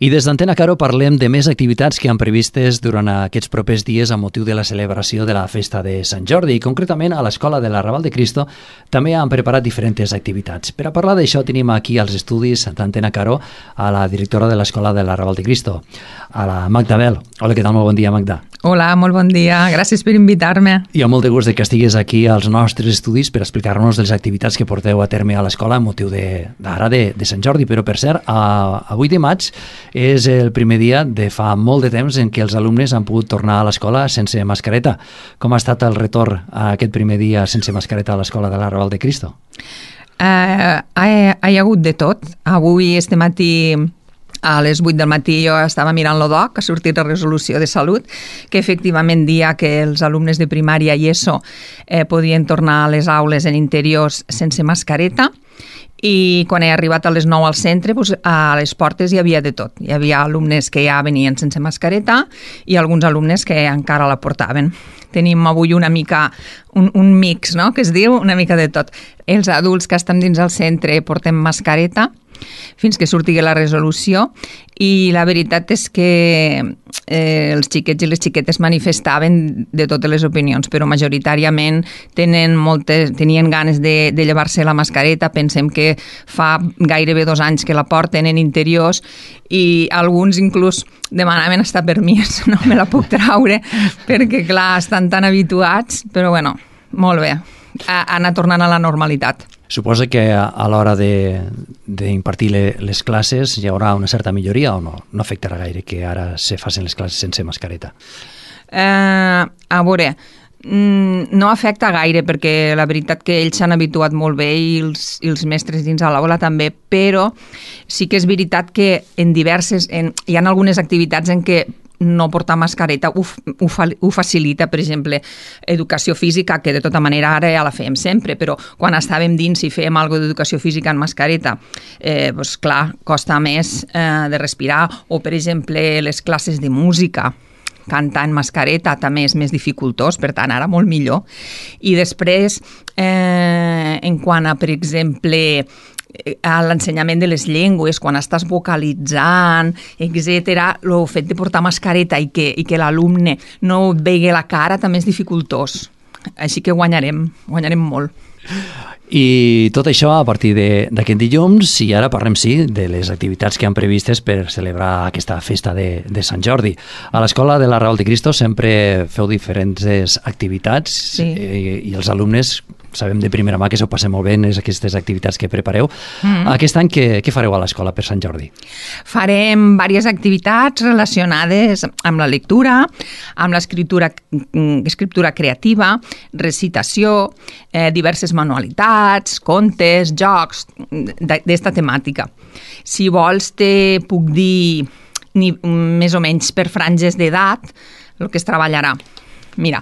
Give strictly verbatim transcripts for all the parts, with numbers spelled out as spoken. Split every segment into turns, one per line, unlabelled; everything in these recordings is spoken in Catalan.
I des d'Antena Caro parlem de més activitats que han previstes durant aquests propers dies a motiu de la celebració de la festa de Sant Jordi. I concretament a l'Escola de l'Arrabal de Cristo també han preparat diferents activitats. Per a parlar d'això tenim aquí als estudis d'Antena Caro a la directora de l'Escola de l'Arrabal de Cristo, a la Magda Bel. Hola, què tal? Molt bon dia, Magda.
Hola, molt bon dia. Gràcies per invitar-me.
I amb molt de gust de que estiguis aquí als nostres estudis per explicar-nos les activitats que porteu a terme a l'escola a motiu d'ara de, de, de Sant Jordi. Però, per cert, a, a vuit de maig és el primer dia de fa molt de temps en què els alumnes han pogut tornar a l'escola sense mascareta. Com ha estat el retorn a aquest primer dia sense mascareta a l'escola de l'Arrabal de Cristo?
Uh, ha, ha hi hagut de tot. Avui, este matí, a les vuit del matí, jo estava mirant l'O D O C, ha sortit la resolució de salut, que efectivament dia que els alumnes de primària i ESO eh, podien tornar a les aules en interiors sense mascareta. I quan he arribat a les nou al centre, doncs, a les portes hi havia de tot. Hi havia alumnes que ja venien sense mascareta i alguns alumnes que encara la portaven. Tenim avui una mica, un, un mix, no?, que es diu, una mica de tot. Els adults que estan dins el centre portem mascareta fins que surti la resolució i la veritat és que eh, els xiquets i les xiquetes manifestaven de totes les opinions, però majoritàriament tenen moltes, tenien ganes de, de llevar-se la mascareta. Pensem que fa gairebé dos anys que la porten en interiors i alguns inclús demanaven hasta permís, no me la puc traure perquè clar, estan tan habituats, però bueno, molt bé, ha anat tornant a la normalitat.
Suposa que a l'hora d'impartir les classes hi haurà una certa milloria o no? No afectarà gaire que ara se facin les classes sense mascareta?
Eh, a veure, no afecta gaire perquè la veritat que ells s'han habituat molt bé i els, i els mestres dins de l'aula també, però sí que és veritat que en diverses, en, hi ha algunes activitats en què no portar mascareta ho, ho, ho facilita, per exemple, educació física, que de tota manera ara ja la fèiem sempre, però quan estàvem dins i fèiem alguna d'educació física en mascareta, eh, doncs clar, costa més eh, de respirar, o per exemple les classes de música, cantar en mascareta també és més dificultós, per tant ara molt millor. I després, eh, en quant a, per exemple, a l'ensenyament de les llengües, quan estàs vocalitzant, etcètera, el fet de portar mascareta i que, i que l'alumne no vegi la cara també és dificultós. Així que guanyarem, guanyarem molt.
I tot això a partir d'aquest dilluns, i ara parlem, sí, de les activitats que han previstes per celebrar aquesta festa de, de Sant Jordi. A l'Escola de l'Arrabal de Cristo sempre feu diferents activitats, sí. i, i els alumnes sabem de primera mà que s'ho passem molt bé en aquestes activitats que prepareu. Mm. Aquest any què, què fareu a l'escola per Sant Jordi?
Farem diverses activitats relacionades amb la lectura, amb l'escriptura escriptura creativa, recitació, eh, diverses manualitats, contes, jocs, d'esta temàtica. Si vols te puc dir ni, més o menys per franges d'edat el que es treballarà. Mira,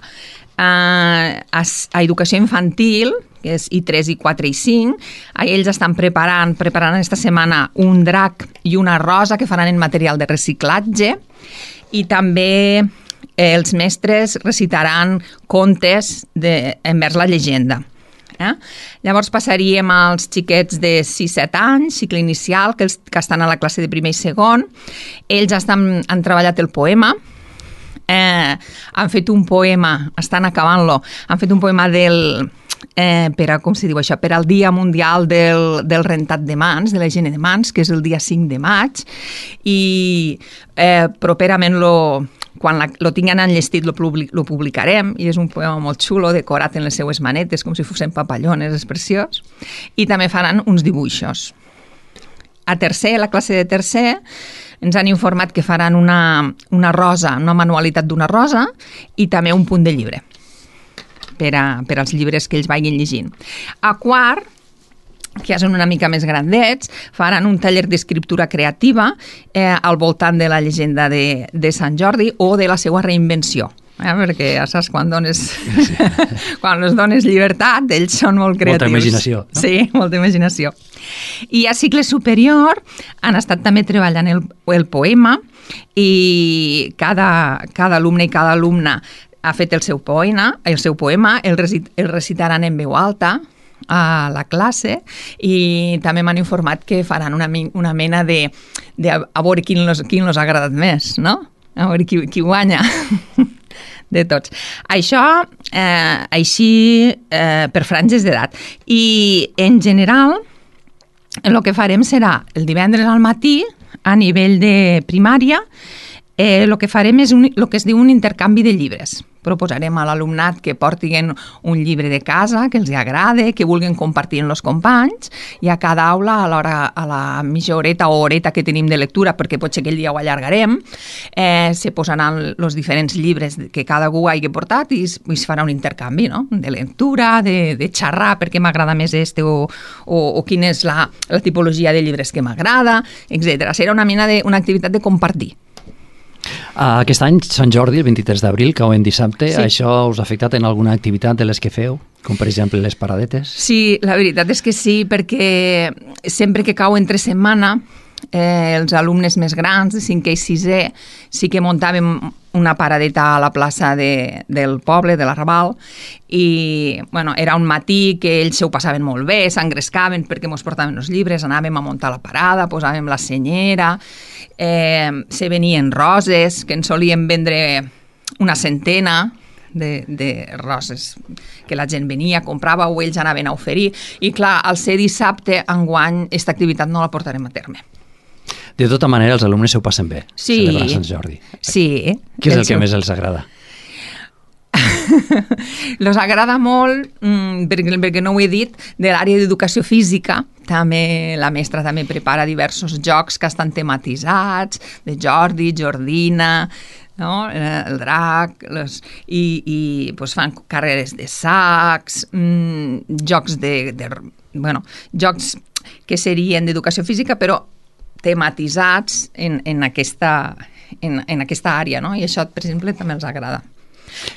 Uh, a, a educació infantil, que és I tres, I quatre i cinc, ells estan preparant, preparant aquesta setmana un drac i una rosa que faran en material de reciclatge i també eh, els mestres recitaran contes de, envers la llegenda. Eh? Llavors passaríem als xiquets de sis set anys, cicle inicial, que, els, que estan a la classe de primer i segon. Ells estan, han treballat el poema. Eh, han fet un poema, estan acabant-lo, han fet un poema del, eh, per a, com se diu això, per al Dia Mundial del, del Rentat de Mans, de la higiene de mans, que és el dia cinc de maig, i eh, properament lo, quan la, lo tinguin enllestit lo, public, lo publicarem, i és un poema molt xulo, decorat en les seues manetes, com si fossin papallones, és preciós, i també faran uns dibuixos. A tercer, la classe de tercer, ens han informat que faran una, una rosa, una manualitat d'una rosa i també un punt de llibre per, a, per als llibres que ells vagin llegint. A quart, que ja són una mica més grandets, faran un taller d'escriptura creativa eh, al voltant de la llegenda de, de Sant Jordi o de la seva reinvenció. Eh, perquè ja saps, quan dones sí. quan els dones llibertat, ells són molt creatius.
Molta imaginació. No?
Sí, molta imaginació. I a cicle superior han estat també treballant el, el poema i cada, cada alumne i cada alumna ha fet el seu poema, el seu poema, el, recit, el recitaran en veu alta, a la classe i també m'han informat que faran una, una mena de, de a veure quin los, quin los ha agradat més, no? A veure qui, qui guanya de tots. Això, eh, així, eh, per franges d'edat. I, en general, el que farem serà el divendres al matí, a nivell de primària, eh, el que farem és un, el que es diu un intercanvi de llibres. Proposarem a l'alumnat que portin un llibre de casa, que els agrade, que vulguin compartir amb els companys, i a cada aula, a, l'hora, a la mitja horeta o horeta que tenim de lectura, perquè potser aquell dia ho allargarem, eh, se posaran els diferents llibres que cada algú hagi portat i es, i es farà un intercanvi, no? De lectura, de, de xerrar, perquè m'agrada més este o, o, o quina és la, la tipologia de llibres que m'agrada, etcètera. Serà una mena de, una activitat de compartir.
Aquest any, Sant Jordi, el vint-i-tres d'abril, cau en dissabte,
sí.
Això us ha afectat en alguna activitat de les que feu? Com per exemple les paradetes?
Sí, la veritat és que sí, perquè sempre que cau entre setmana, eh, els alumnes més grans, de cinquè i sisè, sí que muntàvem una paradeta a la plaça de, del poble, de l'Arrabal, i bueno, era un matí que ells ho passaven molt bé, s'engrescaven perquè mos portaven els llibres, anàvem a muntar la parada, posàvem la senyera, eh, se venien roses, que ens solien vendre una centena de, de roses que la gent venia, comprava o ells anaven a oferir, i clar, al ser dissabte, enguany, aquesta activitat no la portarem a terme.
De tota manera, els alumnes s'ho passen bé,
sí,
celebrant Sant Jordi.
Sí.
Què és el, el que seu... més els agrada?
Els agrada molt, mmm, perquè, perquè no ho he dit, de l'àrea d'educació física. També la mestra també prepara diversos jocs que estan tematitzats, de Jordi, Jordina, no? El drac, les, i, i pues, fan carreres de sacs, mmm, jocs de, de... Bueno, jocs que serien d'educació física, però tematitzats en, en, aquesta, en, en aquesta àrea, no? I això, per exemple, també els agrada.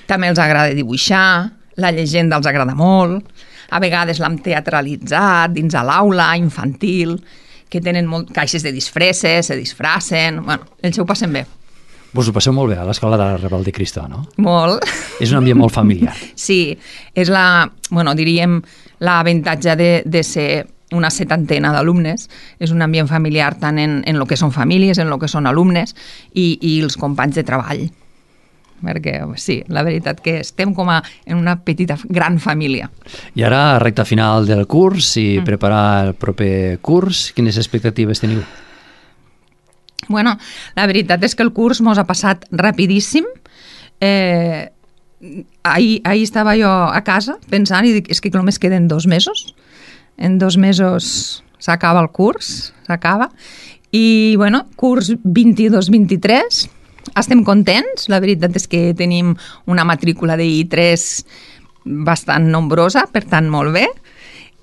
També els agrada dibuixar, la llegenda els agrada molt, a vegades l'hem teatralitzat dins a l'aula infantil, que tenen molt, caixes de disfresses, se disfracen, bueno, ells ho passen bé.
Vos ho passeu molt bé a l'escola de l'Arrabal de Cristo, no?
Molt.
És un ambient molt familiar.
Sí, és la, bueno, diríem, l'avantatge de, de ser una setantena d'alumnes, és un ambient familiar tant en, en el que són famílies, en el que són alumnes i, i els companys de treball. Perquè sí, la veritat que estem com a, en una petita, gran família.
I ara, recta final del curs i mm. preparar el proper curs, quines expectatives teniu?
Bueno, la veritat és que el curs mos ha passat rapidíssim. Eh, ahir, ahir estava jo a casa pensant i dic, és que només queden dos mesos. En dos mesos s'acaba el curs, s'acaba. I, bueno, curs vint-i-dos vint-i-tres, estem contents. La veritat és que tenim una matrícula de I tres bastant nombrosa, per tant, molt bé.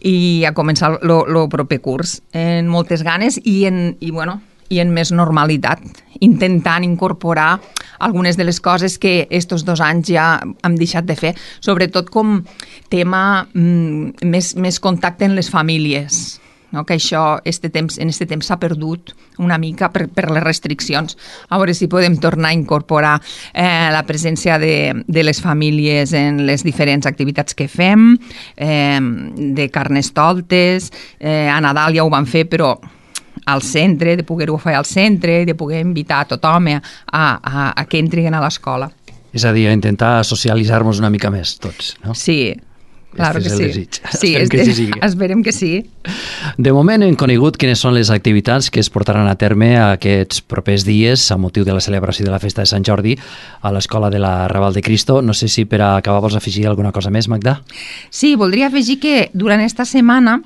I a començar el proper curs en moltes ganes i en, i, bueno, i en més normalitat, intentant incorporar algunes de les coses que estos dos anys ja hem deixat de fer, sobretot com tema mm, més, més contacte en les famílies, no? Que això este temps, en aquest temps s'ha perdut una mica per, per les restriccions. A veure si podem tornar a incorporar eh, la presència de, de les famílies en les diferents activitats que fem, eh, de carnestoltes, eh, a Nadal ja ho vam fer, però al centre, de poder-ho fer al centre, de poder invitar a tothom a, a, a que entrin a l'escola.
És a dir, a intentar socialitzar-nos una mica més tots, no?
Sí, claro que sí. Sí,
esperem que sí sigui.
Esperem que sí.
De moment hem conegut quines són les activitats que es portaran a terme aquests propers dies a motiu de la celebració de la festa de Sant Jordi a l'escola de la Raval de Cristo. No sé si per acabar vols afegir alguna cosa més, Magda?
Sí, voldria afegir que durant esta setmana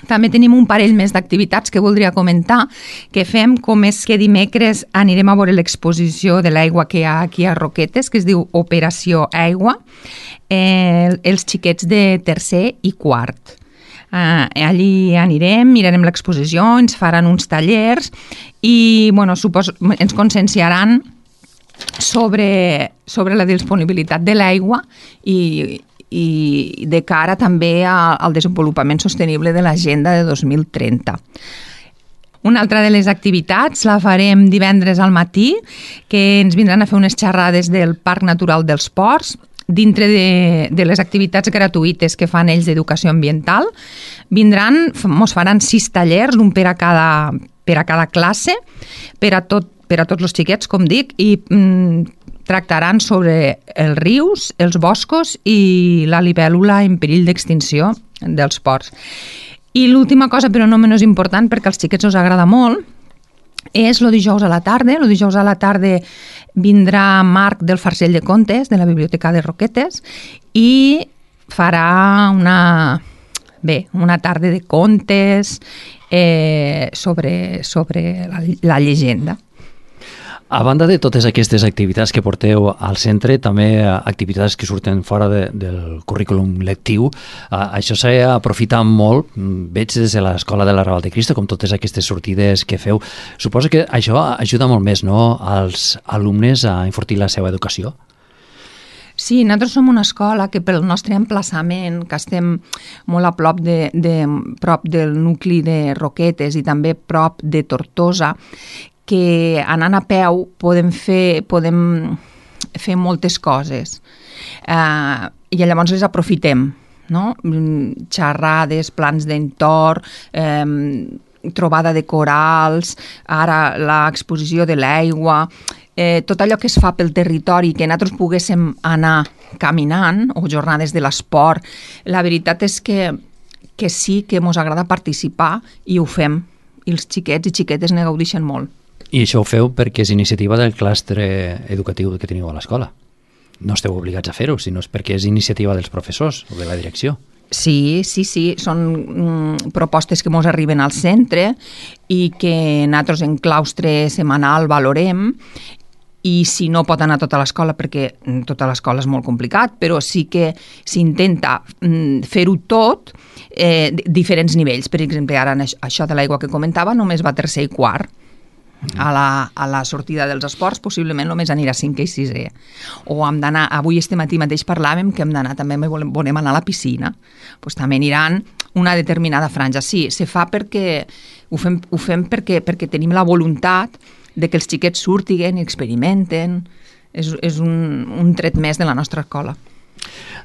també tenim un parell més d'activitats que voldria comentar, que fem, com és que dimecres anirem a veure l'exposició de l'aigua que hi ha aquí a Roquetes, que es diu Operació Aigua, eh, els xiquets de tercer i quart. Uh, allí anirem, mirarem l'exposició, ens faran uns tallers i bueno, suposo, ens conscienciaran sobre, sobre la disponibilitat de l'aigua i i de cara també al desenvolupament sostenible de l'agenda de dos mil trenta. Una altra de les activitats la farem divendres al matí, que ens vindran a fer unes xerrades del Parc Natural dels Ports. dintre de, de les activitats gratuïtes que fan ells d'educació ambiental, vindran, mos faran sis tallers, un per a cada, per a cada classe, per a, tot, per a tots els xiquets, com dic, i mm, tractaran sobre els rius, els boscos i la libèl·lula en perill d'extinció dels ports. I l'última cosa, però no menys important, perquè als xiquets us agrada molt, és el dijous a la tarda. El dijous a la tarda vindrà Marc del Farcell de Contes, de la Biblioteca de Roquetes, i farà una, bé, una tarda de contes eh, sobre, sobre la, la llegenda.
A banda de totes aquestes activitats que porteu al centre, també activitats que surten fora de, del currículum lectiu. Això s'ha aprofitat molt, veig des de l'Escola de la Raval de Cristo, com totes aquestes sortides que feu. Suposo que això ajuda molt més, no?, als alumnes a enfortir la seva educació.
Sí, nosaltres som una escola que pel nostre emplaçament, que estem molt a prop, de, de, prop del nucli de Roquetes i també prop de Tortosa, que anant a peu podem fer, podem fer moltes coses. Eh, I llavors les aprofitem, no? Xerrades, plans d'entorn, eh, trobada de corals, ara l'exposició de l'aigua, eh, tot allò que es fa pel territori, que nosaltres poguéssim anar caminant, o jornades de l'esport. La veritat és que, que sí que ens agrada participar i ho fem. I els xiquets i xiquetes ne gaudeixen molt.
I això ho feu perquè és iniciativa del clastre educatiu que teniu a l'escola. No esteu obligats a fer-ho, sinó és perquè és iniciativa dels professors o de la direcció.
Sí, sí, sí. Són mm, propostes que ens arriben al centre i que nosaltres en claustre setmanal valorem, i si no pot anar tota l'escola, perquè tota l'escola és molt complicat, però sí que s'intenta mm, fer-ho tot, eh, diferents nivells. Per exemple, ara això de l'aigua que comentava només va tercer i quart. A la, a la sortida dels esports possiblement només anirà cinquè i sisè. O hem d'anar, avui este matí mateix parlàvem que hem d'anar, també volem, volem anar a la piscina, pues també aniran una determinada franja. Sí, se fa perquè ho fem, ho fem perquè, perquè tenim la voluntat de que els xiquets surtiguen i experimenten. És, és un, un tret més de la nostra escola.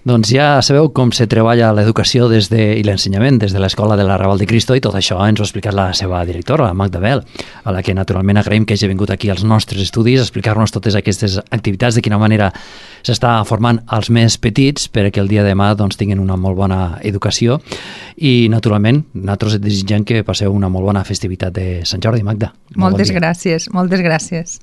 Doncs ja sabeu com se treballa l'educació des de, i l'ensenyament des de l'Escola de la Raval de Cristo, i tot això ens ho ha explicat la seva directora, la Magda Bel, a la que naturalment agraïm que hagi vingut aquí als nostres estudis a explicar-nos totes aquestes activitats, de quina manera s'està formant als més petits perquè el dia de demà doncs, tinguin una molt bona educació, i naturalment nosaltres et desitgem que passeu una molt bona festivitat de Sant Jordi. Magda.
Moltes gràcies, moltes gràcies.